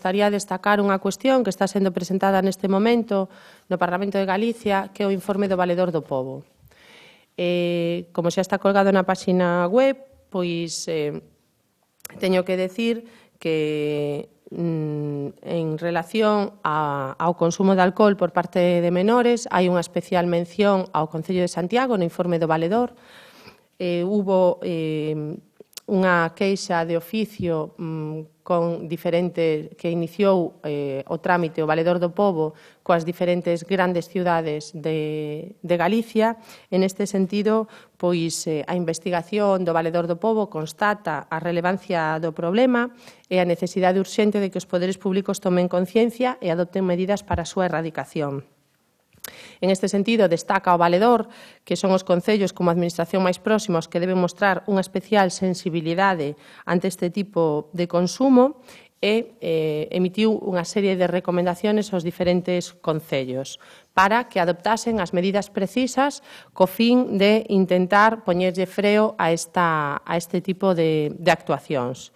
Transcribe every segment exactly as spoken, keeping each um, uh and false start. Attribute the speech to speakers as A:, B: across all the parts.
A: Gostaría destacar unha cuestión que está sendo presentada neste momento no Parlamento de Galicia, que é o informe do Valedor do Pobo. Eh, como xa está colgado na páxina web, pois eh, teño que decir que mm, en relación a, ao consumo de alcohol por parte de menores hai unha especial mención ao Concello de Santiago no informe do Valedor. Eh, hubo eh, unha queixa de oficio mm, con diferente, que iniciou eh, o trámite o Valedor do Pobo coas diferentes grandes ciudades de, de Galicia. En este sentido, pois eh, a investigación do Valedor do Pobo constata a relevancia do problema e a necesidade urxente de que os poderes públicos tomen conciencia e adopten medidas para a súa erradicación. En este sentido, destaca o Valedor que son os concellos como administración máis próximos que deben mostrar unha especial sensibilidade ante este tipo de consumo e eh, emitiu unha serie de recomendaciones aos diferentes concellos para que adoptasen as medidas precisas co fin de intentar poñerlle freo a, esta, a este tipo de, de actuacións.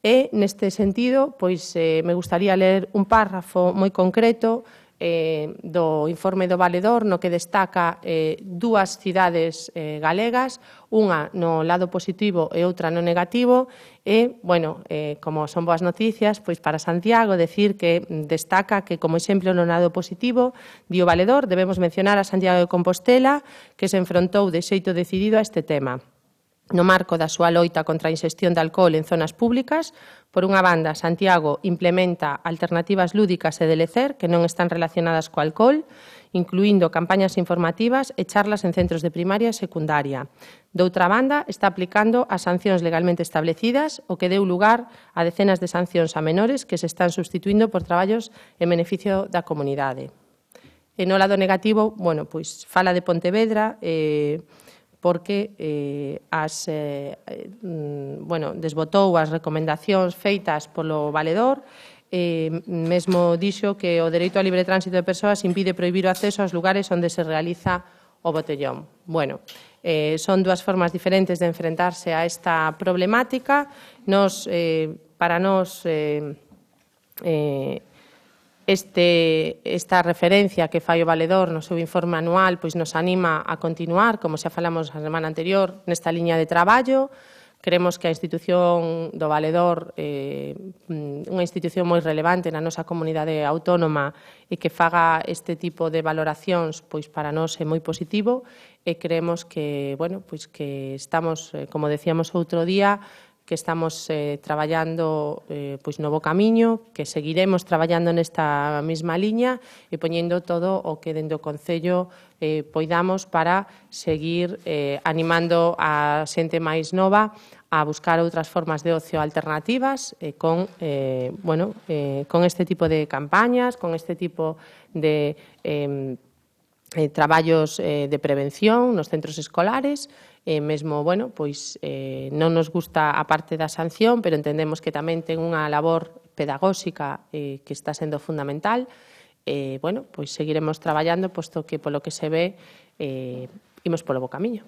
A: E, neste sentido, pois, eh, me gustaría ler un párrafo moi concreto Eh, do informe do Valedor, no que destaca eh, dúas cidades eh, galegas, unha no lado positivo e outra no negativo, e, bueno, eh, como son boas noticias, pois para Santiago, decir que destaca que, como exemplo no lado positivo, di o Valedor, debemos mencionar a Santiago de Compostela, que se enfrontou de xeito decidido a este tema. No marco da súa loita contra a inxestión de alcohol en zonas públicas, por unha banda, Santiago implementa alternativas lúdicas e de lecer que non están relacionadas co alcohol, incluindo campañas informativas e charlas en centros de primaria e secundaria. Doutra banda, está aplicando as sancións legalmente establecidas, o que deu lugar a decenas de sancións a menores que se están substituindo por traballos en beneficio da comunidade. E no lado negativo, bueno, pois fala de Pontevedra, eh, porque eh, as, eh, bueno, desbotou as recomendacións feitas polo Valedor, eh, mesmo dixo que o dereito ao libre tránsito de persoas impide prohibir o acceso aos lugares onde se realiza o botellón. Bueno, eh, son dúas formas diferentes de enfrentarse a esta problemática. Nos, eh, para nós, eh, eh, Este, esta referencia que fai o Valedor no seu informe anual pois nos anima a continuar, como xa falamos a semana anterior, nesta liña de traballo. Creemos que a institución do Valedor é eh, unha institución moi relevante na nosa comunidade autónoma e que faga este tipo de valoracións pois para nós é moi positivo e creemos que, bueno, pois que estamos, eh, como decíamos outro día, que estamos eh, traballando eh, pois no bo camiño, que seguiremos traballando nesta mesma liña e poñendo todo o que dende o Concello eh, poidamos para seguir eh, animando a xente máis nova a buscar outras formas de ocio alternativas eh, con, eh, bueno, eh, con este tipo de campañas, con este tipo de eh, eh, traballos eh, de prevención nos centros escolares. E mesmo, bueno, pois eh, non nos gusta a parte da sanción, pero entendemos que tamén ten unha labor pedagóxica eh, que está sendo fundamental. E, bueno, pois seguiremos traballando, posto que polo que se ve, eh, imos polo bo camiño.